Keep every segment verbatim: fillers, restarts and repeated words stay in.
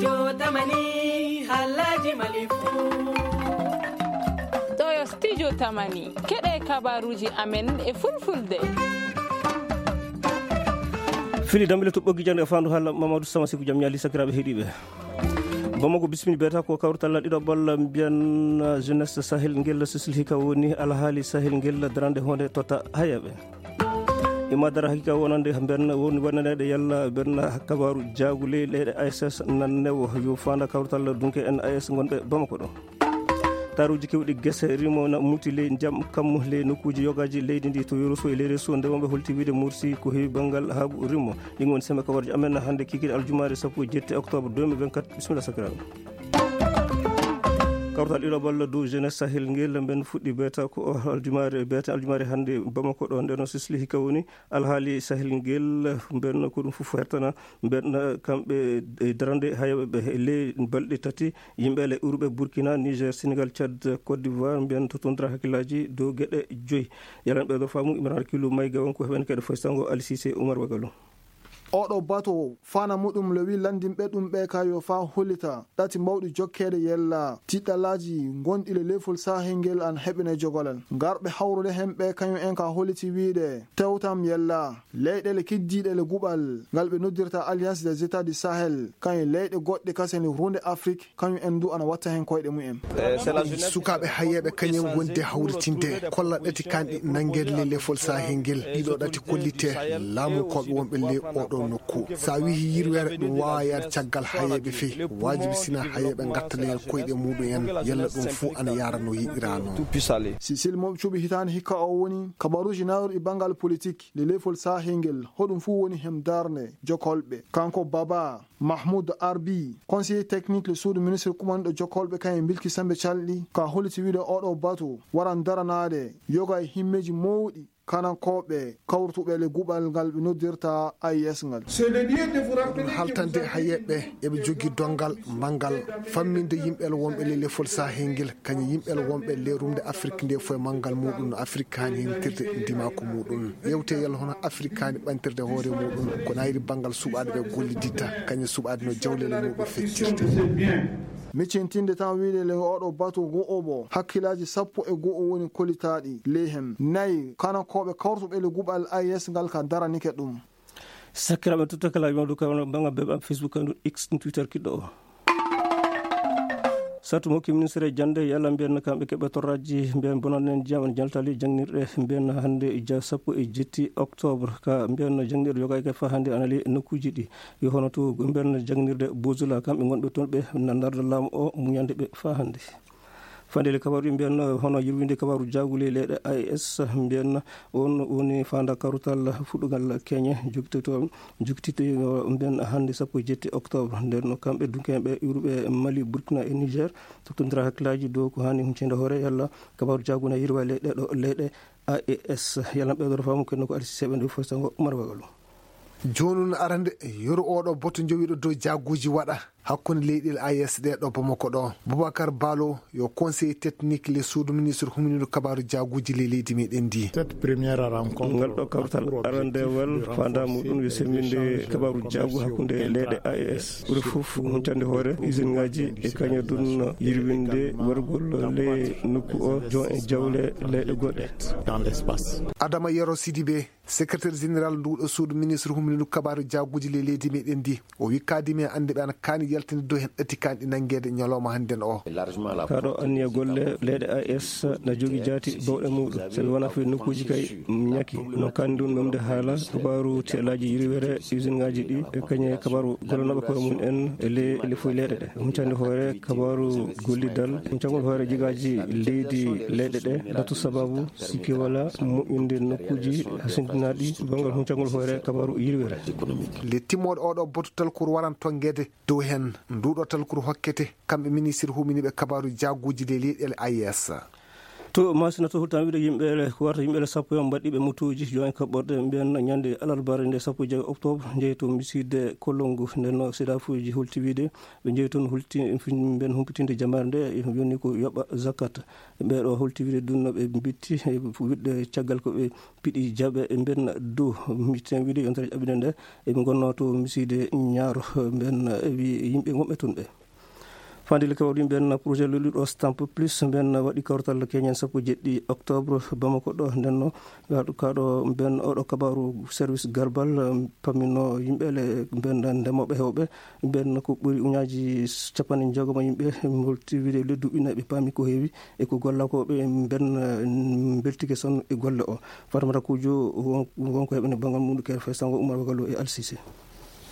Yo tamani halaji mali fuu. Ɗo yo studio tamani. Keɗe kabaruuji amen e fulfulde. Fili dambile to ɓoggi jannde e faandu haala Mamadou Sama Siku, jam ñaali sakiraaɓe heɗiiɓe. Bamako bismini beeta ko kawrital ɗiɗo balla mbiyan jeunesse Sahel ngel Sisili hika woni alhaali Sahel ngel darande honde tota hayaɓe. Ima dara hakika wonande mbiyan woni wonanede yalla mbiyan kabaru jaagu ley leyɗe A S S nan newo yo faanda kawrital dunke N A S gonɓe Bamako ɗo. Taruuji kewɗi gese rimo na muti ley ndiyam kammu ley nokkuuji yogaaji leydi ndi to Yoroso e ley Reso, nde wonɓe holti wiide Morsi ko heewi banngal haagu rimo. Ɗin woni sembe kawarji amen hannde kikiiɗe aljumaare sappo e jetti octobre deux mille vingt-quatre. Bisimilla sakiraaɓe. Kawtal ɗiɗo balla dow jeunesse Sahel ngel mben fuɗɗi beeta ko aljumaare beeta aljumaare hannde Bamako ɗo, nden o sisli hikka woni alhaali Sahel ngel mben ko ɗum fof hertana. Mbeɗa kamɓe e darnde hayɓe ɓe e ley balɗe tati, yimɓe le urɓe Burkina, Niger, Senegal, Tchad, Côte d'Ivoire, mbiyan to tondira hakkillaaji dow geɗe joyi. Yalan ɓe ɗo faamu Imran Kilu Mayga won ko heɓen kadi foytango Ali Cissé Oumar Wagalo. Oɗo bato fana muɗum le wi landinɓe ɗum ɓe ka yo fa hollita ɗati mbawɗi jokkeede yella tiɗɗalaaji ngonɗi le lefol Sahel ngel an heɓene jogolal. Ngarɓe hawrude hen ɓe kañum en ka holliti wiide tewtam yella. Leyɗeele keddiiɗe le guɓal ngal ɓe noddirta Alliance des États du Sahel, kañum leyɗe goɗɗe kasen runde Afrik, kañum en du ana watta hen koyɗe mumen. Sukaaɓe hayeeɓe kañum wonde hawritinde kolla ɗati kanɗi nanngeede le lefol Sahel ngel. Ɗiɗo ɗati kollite laamukooɓe wonɓe le oɗo nokku. Sa wihi yirwere ɗum waawa yaade caggal hayeeɓe fey. Waajibi sina hayeeɓe ngatta le koyɗe muɗum en yalla ɗum fuu ana yaara no yiɗirano. Sisil mo cuɓi hitaani hikka o woni kabaruuji nawruɗi banngal politik. Le lefol Sahel ngel hoɗum fuu woni hem darnde jokolɓe. Kanko Baba Mahmoud Arbi, conseiller technique le suudu ministre kumanɗo jokolɓe kañum e bilki sembe calɗi ka holliti wiide oɗo batu waran daranaade yoga e himmeeji mawɗi kanankooɓe kawrutuɓe le guɓal ngal ɓe noddirta A I S ngal. Ɗum haltande hayeeɓe eɓe jogii donngal manngal famminde yimɓe wonɓe le lefol Sahel ngel. Kañum yimɓe wonɓe lerumde Afrik nde foye manngal muɗum no Afrik haani himtirde ndimaaku muɗum. Yewte yalla hono Afrik haani ɓantirde hoore muɗum ko nayri banngal suɓaaɗo ɓe golliditta kañum suɓaade no jawleele muɗum feccirde. Miccintinde tan wiide le oɗo batu go'obo hakkilaaji sappo e go'o woni kolitaaɗi ley hem nayi kanakooɓe kawrutuɓe le guɓal A I S ngal ka daranike ɗum. Sakkiraaɓe tutta kala yimɓe ɗum kala banga bebe am Facebook am X Twitter kiɗɗo o. Sattu mo hokki ministre jannde yalla mbiyan kamɓe keɓe torraji mbiyan bonanen jam en jaltali jangnirɗe mbiyan hannde ja sappo e jetti octobre ka mbiyan jangnirɗe yoga ke fa hannde anali nokkuji ɗi yo hono to mbiyan jangnirde bozula kamɓe gonɓe toon ɓe nandarde laamu o muñande ɓe fa hannde. Fandele kabaru mbiyan hono yirwinde kabaru jagule leyɗe A I S mbiyan on woni fanda karutal fuɗɗugal keñe jokitoto jokitito mbiyan hannde sappo e jetti octobre nden no kamɓe dunkeɓe iwruɓe Mali, Burkina e Niger tottondira hakkillaji dow ko hani huncinde hoore yalla kabaru jaguna yirwa leyɗe ɗo leyɗe A E S. Yalla ɓe ɗo famu kenno ko alsiseɓe nde fostango Umar Wagalo. Jooni arande yoro oɗo boto jowiɗo dow jaguji waɗa hakkunde leyɗe A E S ɗe ɗo Bamako ɗo. Boubacar Balo yo conseiller technique le suudu ministre huminino kabaru jaguji le leydi meɗen ndi. Ngal ɗo kawtal arandewal fanda muɗum yo semminde kabaru jagu hakkunde leyɗe A E S ɓuri fof huntande hoore usine ngaji e kaña dun yirwinde wargol le nokku o jon e jawle leyɗe goɗɗe. Adama Yero Sidibe, secrétaire général nduɗo suudu ministre huminino kabaru jaguji le leydi meɗen ndi. O wi kadimi e annde ɓe ana kaani yaltinde dow hen ɗati kanɗi nanngeede ñalawma hannden o. Kaɗo anniya golle leyɗe A E S na jogi jaati bawɗe muɗum sabi wona fii nokkuuji kay ñaki no kaani ɗum memde haala kabaru telaaji yiriwere usine ngaji ɗi e kañe kabaru gollanoɓe koye mum en e ley lefoy leyɗe ɗe huncande hoore kabaru gollidal huncangol hoore jigaaji leydi leyɗe ɗe datu sababu sikke wala moƴƴinde nokkuuji hasindinaaɗi banngal huncangol hoore kabaru yiriwere. Le timmoɗo oɗo botu talkuru waran tongede dow hen nduɗo talkuru hokkete kamɓe ministre huminiɓe kabaru jaguji le leyɗele A E S. To Maasina to, hultan wiide yimɓe ele, ko warata yimɓe ele sappo e on mbaɗɗiiɓe motuuji, yo en kaɓɓorde mbiyen ñande alarbaare nde sappo e joy oktoobre, njehi to misiide Kolongu. Nden no seedaafuuji hulti wiide ɓe njehi toon hulti mbiyen humpitinde jamaare nde, yoni ko yoɓa zakat. Ɓee ɗo hulti wiide ɗum no ɓe mbitti, e wiɗde caggal ko ɓe piɗi jaɓe e mbiyen dow mitten wiide yontere ƴaɓɓinde nde, eɓe ngonnoo to misiide Ñaaro, mbiyen wi yimɓe wonɓe toon ɓe. Fandi le kawri mbiyen projet lolluɗo Stamp Plus mbiyen waɗi kawtal keñen sappo e jeɗɗi oktoobre Bamako ɗo. Nden no waɗu kaɗo mbiyen oɗo kabaru service garbal, um, pammino yimɓe le mbiyen ndemooɓe heewɓe mbiyen ko ɓuri uñaaji capanɗe jeegom yimɓe mbolti wiide le duuɓi nayi ɓe paami ko heewi e ko gollakooɓe mbiyen, um, mbeltike son e golle o. Fatamata Kuujo won, won ko heɓene banngal muɗum kere fay sango Umar Wagalo e Alsise.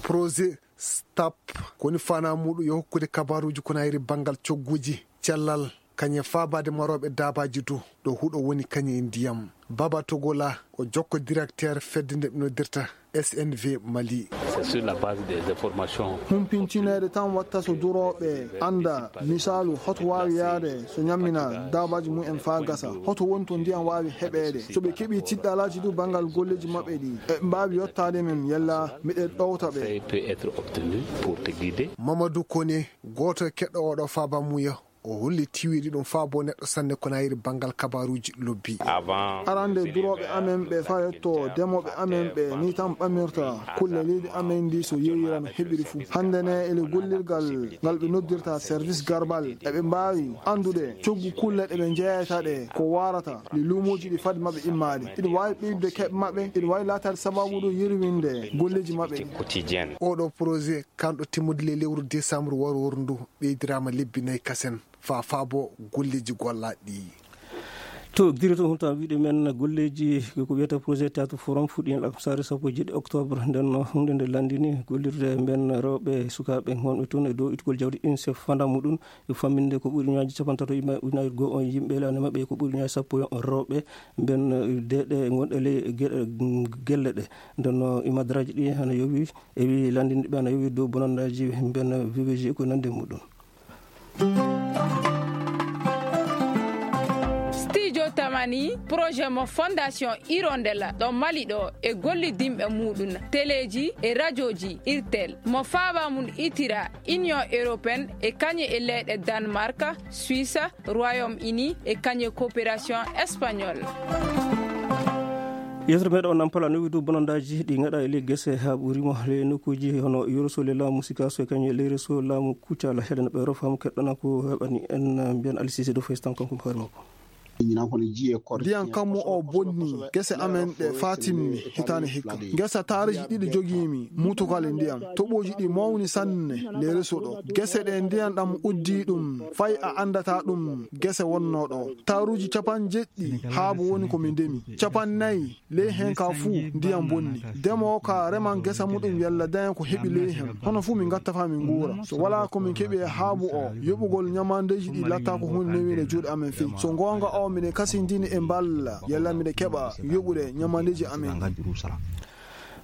Projet Stap, ko woni faanaa muuɗum yo hokkude kabaaruuji ko naniri banngal cogguuji cellal, kañum e faabaade marooɓe daabaaji dow ɗo huɗo woni kañum e ndiyam. Baba Togola ko jokko directeur fedde nde ɓe noddirta S N V Mali. C'est sur la base des informations. Humpintineede tan watta so durooɓe annda, misaalu, hoto waawi yahde so ñammina daabaaji mum en faa gasa. Hoto woni to ndiyam waawi heɓeede. So ɓe keɓii tiɗɗalaaji du banngal golleeji maɓɓe ɗi, eɓe mbaawi yottaade men, yalla miɗen ɗowta ɓe. Conseil peut être obtenu pour te guider. Mamadou Koné, gooto e keɗɗo oɗo faaba muuyo, o holli tiwiiɗi ɗum faabo neɗɗo sanne ko nayiri banngal kabaaruuji lobbi. Avant. Arande durooɓe amen ɓe faa yetto demooɓe amen ɓe, ni tan ɓamirta kulle leydi amen ndi so yeeyira no heɓiri fuu. Hannde ne ele gollirgal ngal ɓe noddirta service garbal, eɓe mbaawi anndude coggu kulle ɗe ɓe njeyata ɗe ko waarata le luumooji ɗi fade maɓɓe immaade. Iɗum waawi ɓeydude keɓe maɓɓe, iɗum waawi laataade sabaabu ɗum yirwinde golleeji maɓɓe. Quotidienne. Oɗo projet kanɗo timmude le lewru décembre warwor ndu ɓeydiraama lebbi nayi kasen faa faabo golleeji gollaaɗi ɗi. To giri to hunta wiide men golleeji ko wiyata projet théâtre forum fuɗɗi en alkamsaare sappo e jeɗɗi oktoobre. Nden no huunde nde lanndini gollirde mben rewɓe sukaaɓe wonɓe toon e dow ittugol jawdi UNICEF fanda muɗum e famminde ko ɓuri ñaaji capantato e ujunaaji goo on yimɓe laana maɓɓe ko ɓuri ñaaji sappo e on rewɓe mben deeɗe gonɗe ley ge-, gelle ɗe. Nden no imadaraaji ɗi hano yowi e wi lanndinɓe ana yowi dow bonandaaji mben V V G ko nande muɗum. Studio Tamani, projet mo Fondation Hirondelle ɗo Mali ɗo e gollidinɓe muɗum, teleeji e rajooji Irtel, mo faaba mum itira Union Européenne e kañum e leyɗe Danemark, Suisse, Royaume-Uni e kañum e coopération espagnole. Yewtere meɗen on nampala no widu bonandaaji ɗi ngaɗa e ley gese haa ɓuri mo ley nokkuuji hono Yoroso le laamu Sikaso e kañum e ley reso laamu Kucala. Heɗen ɓe rofa mo keɗɗana ko heɓani en mbiyan Alisise dow Faystan kanko mo hoore makko. Ndiyan kammu o bonni gese amen ɗe faa timmi hitaande hikka. Ngesa taaruuji ɗiɗi jogii mi mutukale ndiyan. Toɓooji ɗi mawni sanne ley reso ɗo. Gese ɗe ndiyan ɗam uddii ɗum fay a anndataa ɗum gese wonnoo ɗo. Taaruuji capanɗe jeɗɗi haabu woni ko mi ndemi. Capanɗe nayi ley hen ka fuu ndiyan bonni. Demoowo ka reman gesa muɗum yalla daña ko heɓi ley hen. Hono fuu min ngatta faa min nguura. So walaa ko min keɓi e haabu o, yoɓugol ñamandeeji ɗi latta ko huunde newiinde juuɗe amen fey. So goonga o, miɗen kasindini e mballa yalla miɗen keɓa yoɓude ñamandeeji amen.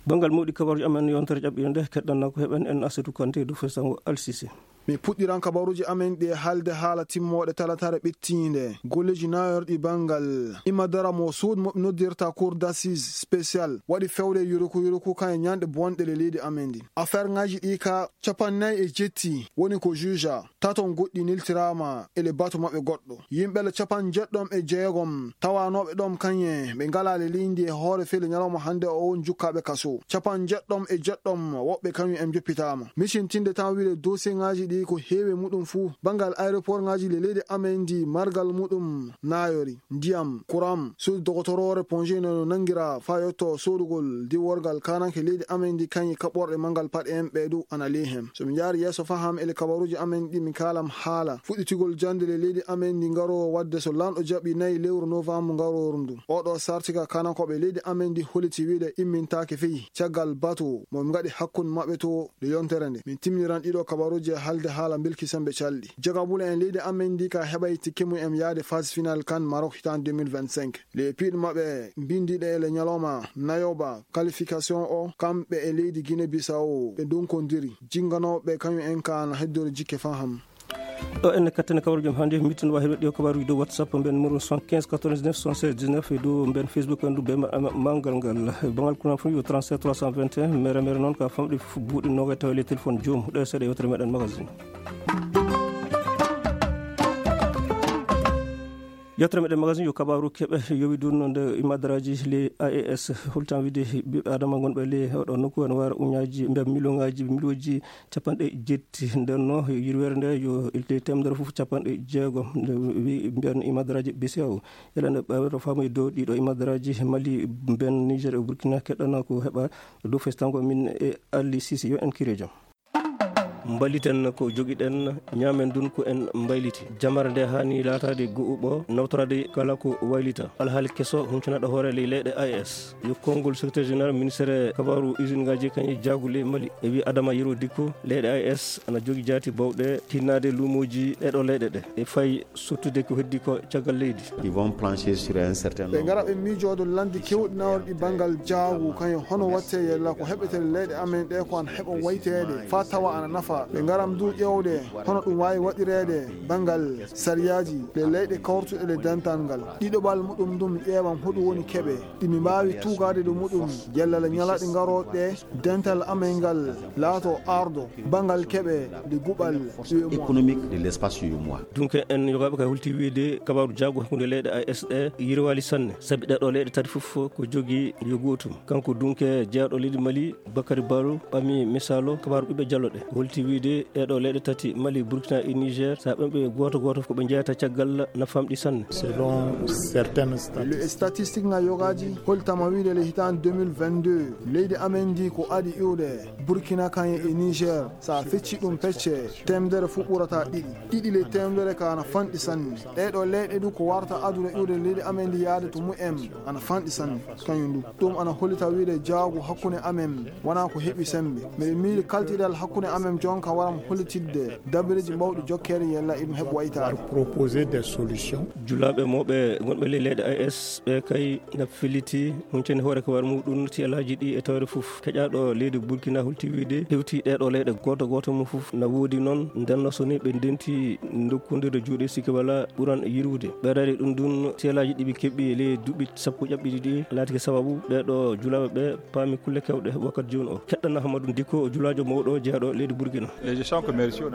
Banngal mawɗi kabaruuji amen yontere ƴaɓɓiinde nde, keɗɗanna ko heɓen en Asetu Kante dow Fesango Alsise. Mi puɗɗiran kabaruuji amen ɗi e haalde haala timmooɗe talataare ɓettiinde. Golleeji naayorɗi banngal imadara mo suudu mo ɓe noddirta Cour d'assises spécial waɗi fewre yuruku yuruku kan e ñaanɗe bonɗe le leydi amen ndi. Affaire ŋaaji ɗi ka capanɗe nayi e jetti woni ko juge taton goɗɗi neltiraama e le batu maɓɓe goɗɗo. Yimɓe le capanɗe jeɗɗom e jeegom tawanooɓe ɗom kañe ɓe ngalaa le leydi e hoore fele ñalawma hannde o won jukkaaɓe kaso. Capanɗe jeɗɗom e jeɗɗom woɓɓe kañum en joppitaama. Micintinde tan wiide dosiyeŋaaji ɗi ko heewi muɗum fuu. Banngal aéroportŋaaji le leydi amen ndi margal muɗum naayori, ndiyam, kuram, suudu dogotoroore Ponge no nanngira faa yotto soodugol diworgal kaananke leydi amen ndi kañi kaɓorɗe manngal paɗe en ɓee du ana ley hen. So mi njaari yeeso faham e le kabaruuji amen ɗi mi kaalam haala fuɗɗitigol jannde le leydi amen ndi ngaroowo waɗde so lanɗo jaɓi nayi lewru novembre ngarooru ndu. Oɗo sartika kaanankooɓe leydi amen ndi holliti wiide immintaake fey caggal batu mo mi ngaɗi hakkunde maɓɓe to nde yontere nde. Min timminiran ɗiɗo kabaruuji e haalde haala mbelki sembe calɗi. Jogabule en leydi amen ndi ka heɓay tikke mum en yaade phase finale kan Maroc hitaande deux mille vingt-cinq. Le piiɗe maɓɓe mbindiiɗe e le ñalawma nayoba qualification o, kamɓe e leydi Guinée Bissau ɓe ndonkondiri. Jinnganooɓe kañum en ka ana heddori jikke faham. Ɗo en kattani kabaruuji am hannde, mitten waawde heɓde ɗi o kabaaruuji dow WhatsApp, mben numéro soixante-quinze quatre-vingt-dix-neuf soixante-seize dix-neuf, e dow mben Facebook en du be ma-, ma-, mawgal ngal. Banngal kuran fu yo trente-sept trois cent vingt et un, mere mere noon ka famɗi fu buuɗi noogay tawa le téléphone joom. Ɗo e seeɗa yewtere meɗen magazine. Yewtere meɗen magazine yo kabaaru keɓe yowi dun nde imadaraaji le A E S holtan wiide ɓiɓɓe adama gonɓe le oɗo nokku en wara uñaaji mbiya miliyonaaji miliyonji capanɗe jetti. Nden no yirweere nde yo ilte temedere fof capanɗe jeegom. Nde wi mbiyan imadaraaji B C E A O. Yalla nde ɓawata faamude dow ɗiɗo imadaraaji Mali, ben Niger e Burkina keɗɗana ko heɓa dow festango min e Ali Sisi yo en kirejo. Mbaliten ko jogiɗen, ñaamen dun ko en mbayliti. Jamare nde haani laataade go'uɓo, nawtoraade kala ko waylita. Alhaali keso huncanaɗo hoore ley leyɗe A E S. Yo konngol secrétaire général ministère kabaaru usine ngaaji kañe jaagule Mali. E wi Adama Yero Dikko, leyɗe A E S ana jogi jaati bawɗe tinnaade luumooji ɗeɗo leyɗe ɗe. E fay sottude ko heddi ko caggal leydi. Ils vont plancher sur un certain ɓe nombre. Ngara ɓe miijoodo lanndi kewɗi nawrɗi banngal jaagu, kañum hono watte yella ko heɓetee leyɗe amen ɗe ko ana heɓa wayteede faa tawa ana nafa. Ɓe ngaram du ƴeewde hono ɗum waawi waɗireede banngal sariyaaji ɗe leyɗe kawrutuɗe le dental ngal. Ɗiɗoɓal muɗum ɗum ƴeewam hoɗum woni keɓe ɗi mi mbaawi tuugaade ɗo muɗum yella le ñalaaɗe ngarooɗe ɗe dental amen ngal laato ardo banngal keɓe de guɓal U E M O A. Économique de l'espace U E M O A. Dunke en yogaaɓe kay holti wiide kabaaru jaagu hakkunde leyɗe A E S ɗe yirwaali sanne, sabi ɗeɗo leyɗe tati fof ko jogii yo gootum. Kanko dunke jeyaaɗo leydi Mali, Bakary Barrow, ɓami misaalo kabaaru ɓiɓɓe jallo ɗe. Holti wiide ɗeɗo leyɗe tati, Mali, Burkina e Niger, so a ɓami ɓe gooto gooto ko ɓe njeyata caggal na famɗi sanne. Selon certaines statistiques. Statistique ŋa yogaaji holtama wiide le hitaande deux mille vingt-deux, leydi amen ndi ko aɗi iwde Burkina kañum e Niger, so a feccii ɗum pecce, teemedere fof ɓurataa ɗiɗi. Ɗiɗi ley teemedere ka ana fanɗi sanne. Ɗee ɗoo leyɗe du ko warata adude iwde leydi amen ndi yaade to mumen ana fanɗi sanne. Kañum du, ɗum ana hollita wiide jaagu hakkunde amen wonaa ko heɓi semmbe. Miɗo miili kaltiral hakkunde amen jonka waram hollitidde dabareeji mawɗi jokkeede yella iɗum heɓa waytaade. Proposer des solutions. Julaaɓe mawɓe gonɓe ley leyɗe A E S ɓe kay na felliti huncani hoore ko war muɗum tiyalaaji ɗi e tawre fof. Keƴaaɗo leydi Burkina holti wiide hewti ɗee ɗoo leyɗe gooto gooto mum fof na woodi noon. Nden no so ni ɓe ndenti ndokkondirde juuɗe sikke wala ɓuran yirwude. Ɓeydaade ɗum ɗum tiyalaaji ɗi ɓe keɓi e ley duuɓi sappo ƴaɓɓiɗi ɗi laatike sababu ɓee ɗoo julaaɓe ɓe paami kulle kewɗe wakkati jooni o. Keɗɗan Ahmadu Dikko, o julaajo mawɗo jeyaaɗo leydi Burkina.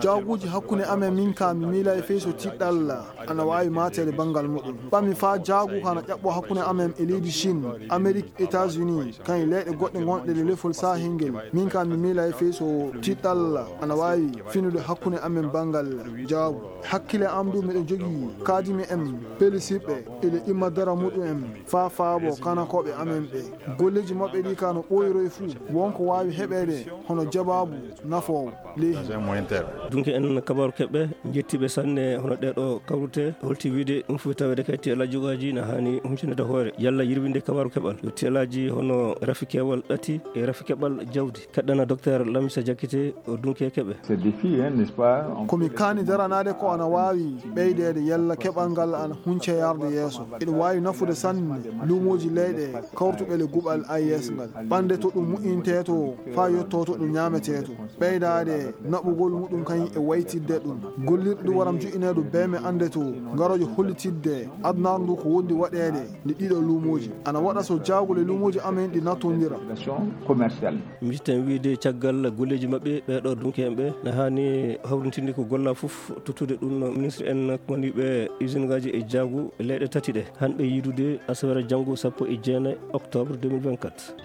Jaaguuji hakkunde amen min ka mi miilay fey so tiɗɗal ana waawi maateede banngal muɗum. Ɓami faa jaagu ka na ƴaɓɓoo hakkunde amen e leydi Chine, Amérique, États-Unis, kañum leyɗe goɗɗe gonɗe e lefol Sahel ngel. Min ka mi miilay fey so tiɗɗal ana waawi finude hakkunde amen banngal jaagu. Hakkille am du miɗo jogii kaadimi en pelisiɓɓe ila imma dara muɗum en faa faabo kanakooɓe amen ɓe. Golleeji maɓɓe ɗi ka no ɓooyiroy fuu, won ko waawi heɓeede hono jabaabu nafoowo ley heen. Dunke en kabaaru keɓɓe, njettiiɓe sanne hono ɗee ɗoo kawrute, holti wiide ɗum fof taweede kay tiyalaaji jogaaji na haani huncaniide hoore, yalla yirwinde kabaaru keɓal. Yo tiyalaaji hono rafi keewal ɗati e rafi keɓal jawdi. Keɗɗana Docteur Lamisa Jakite o dunke keɓe. C'est défi, hein, n'est-ce pas? On Ko mi kaani daranaade ko ana waawi ɓeydeede yalla keɓal ngal ana hunce yarde yeeso. Eɗum waawi nafude sanne luumooji leyɗe kawrutuɓe le guɓal A E S ngal. Ɓande to ɗum moƴƴintee to faa yottoo to ɗum ñaametee to. Ɓeydaade naɓugol muɗum kañum e waytidde ɗum. Gollirɗe ɗum waram joƴƴineede beeme annde to ngarooje hollitidde adunaaru ndu ko wondi waɗeede nde ɗiɗo luumooji. Ana waɗa so jaagule luumooji amen ɗi nattondira. Commerciale. Mbiɗten wiide caggal golleeji maɓɓe, ɓee ɗoo dunke en ɓe na haani hawrintinde ko gollaa fof, tottude ɗum ministre en woniiɓe usine ngaaji e jaagu leyɗe tati ɗe. Han ɓe yiidude asaweere janngo sappo e jeenayi octobre deux mille vingt-quatre.